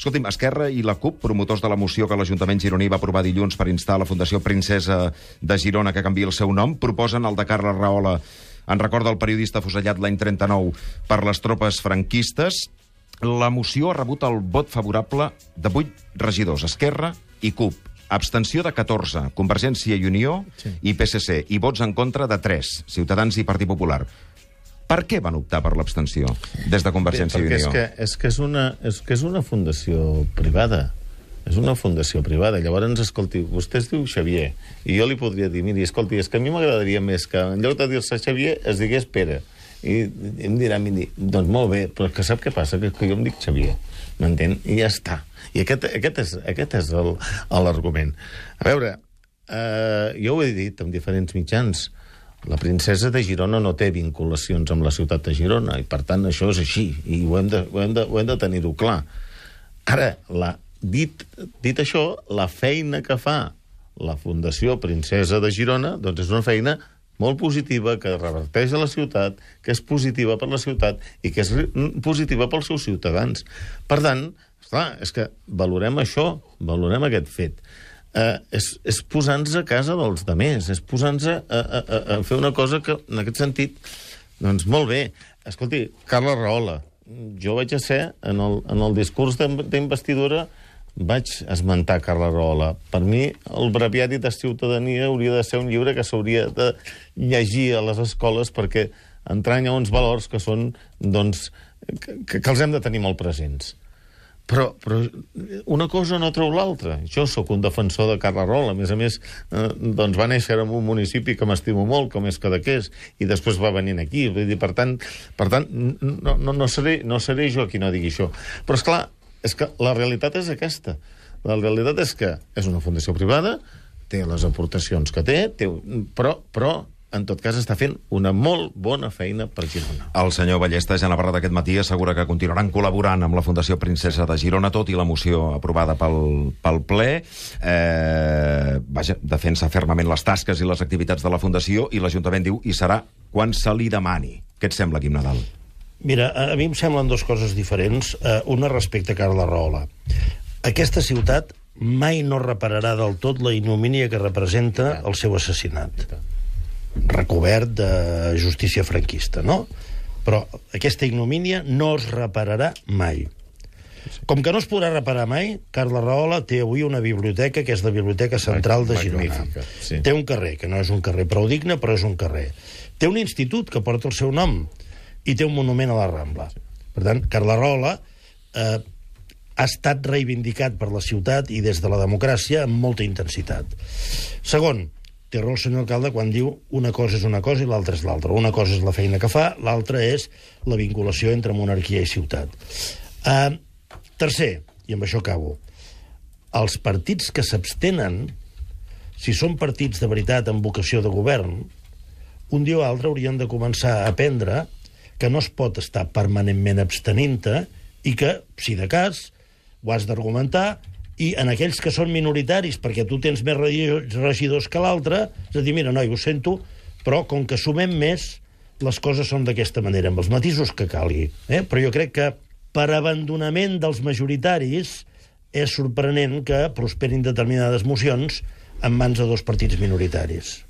Escolti'm, Esquerra i la CUP, promotors de la moció que l'Ajuntament gironí va aprovar dilluns per instar la Fundació Princesa de Girona que canviï el seu nom, proposen el de Carles Rahola en record del periodista afusellat l'any 39 per les tropes franquistes. La moció ha rebut el vot favorable de 8 regidors, Esquerra i CUP. Abstenció de 14, Convergència i Unió i PSC, i vots en contra de 3, Ciutadans i Partit Popular. Per què van optar per l'abstenció des de Convergència i Unió? És que és una fundació privada. És una fundació privada. Llavors, escolti, vostè es diu Xavier, i jo li podria dir, miri, escolti, és que a mi m'agradaria més que en lloc de dir-se Xavier es digués Pere. I em dirà, miri, doncs molt bé, però que sap què passa? Que jo em dic Xavier, m'entén? I ja està. I aquest és l'argument. A veure, jo ho he dit en diferents mitjans, la princesa de Girona no té vinculacions amb la ciutat de Girona, i per tant això és així, i ho hem de tenir-ho clar. Ara, dit això, la feina que fa la Fundació Princesa de Girona doncs és una feina molt positiva, que reverteix a la ciutat, que és positiva per la ciutat i que és positiva pels seus ciutadans. Per tant, esclar, és que valorem això, valorem aquest fet. És posar-nos a casa dels demés, és posar-nos a fer una cosa que, en aquest sentit, doncs molt bé. Escolti, Carles Rahola, jo vaig ser, en el discurs d'investidura, vaig esmentar Carles Rahola. Per mi, el breviari de ciutadania hauria de ser un llibre que s'hauria de llegir a les escoles perquè entranya uns valors que són, doncs, que els hem de tenir molt presents. Però una cosa no treu l'altra. Jo sóc un defensor de Carles Rahola. A més, doncs va néixer en un municipi que m'estimo molt, com és Cadaqués, i després va venir aquí. Per tant, no seré jo qui no digui això. Però, esclar, és que la realitat és aquesta. La realitat és que és una fundació privada, té les aportacions que té, però en tot cas està fent una molt bona feina per Girona. El senyor Ballesta, ja Navarra d'aquest matí, assegura que continuaran col·laborant amb la Fundació Princesa de Girona, tot i la moció aprovada pel ple. Defensa fermament les tasques i les activitats de la Fundació, i l'Ajuntament diu, i serà quan se li demani. Què et sembla, Quim Nadal? Mira, a mi em semblen dues coses diferents. Una respecte a Carles Rahola. Aquesta ciutat mai no repararà del tot la ignomínia que representa el seu assassinat, recobert de justícia franquista, no? Però aquesta ignomínia no es repararà mai. Com que no es podrà reparar mai, Carles Rahola té avui una biblioteca, que és la Biblioteca Central de Girona. Sí. Té un carrer, que no és un carrer prou digne, però és un carrer. Té un institut que porta el seu nom, i té un monument a la Rambla. Per tant, Carles Rahola ha estat reivindicat per la ciutat i des de la democràcia amb molta intensitat. Segon, té raó el senyor alcalde quan diu una cosa és una cosa i l'altra és l'altra. Una cosa és la feina que fa, l'altra és la vinculació entre monarquia i ciutat. Tercer, i amb això acabo, els partits que s'abstenen, si són partits de veritat amb vocació de govern, un dia o altre haurien de començar a aprendre que no es pot estar permanentment abstenint-te i que, si de cas, ho has d'argumentar, i en aquells que són minoritaris, perquè tu tens més regidors que l'altre, és a dir, mira, noi, ho sento, però com que sumem més, les coses són d'aquesta manera, amb els matisos que calgui. Però jo crec que per abandonament dels majoritaris és sorprenent que prosperin determinades mocions en mans de dos partits minoritaris.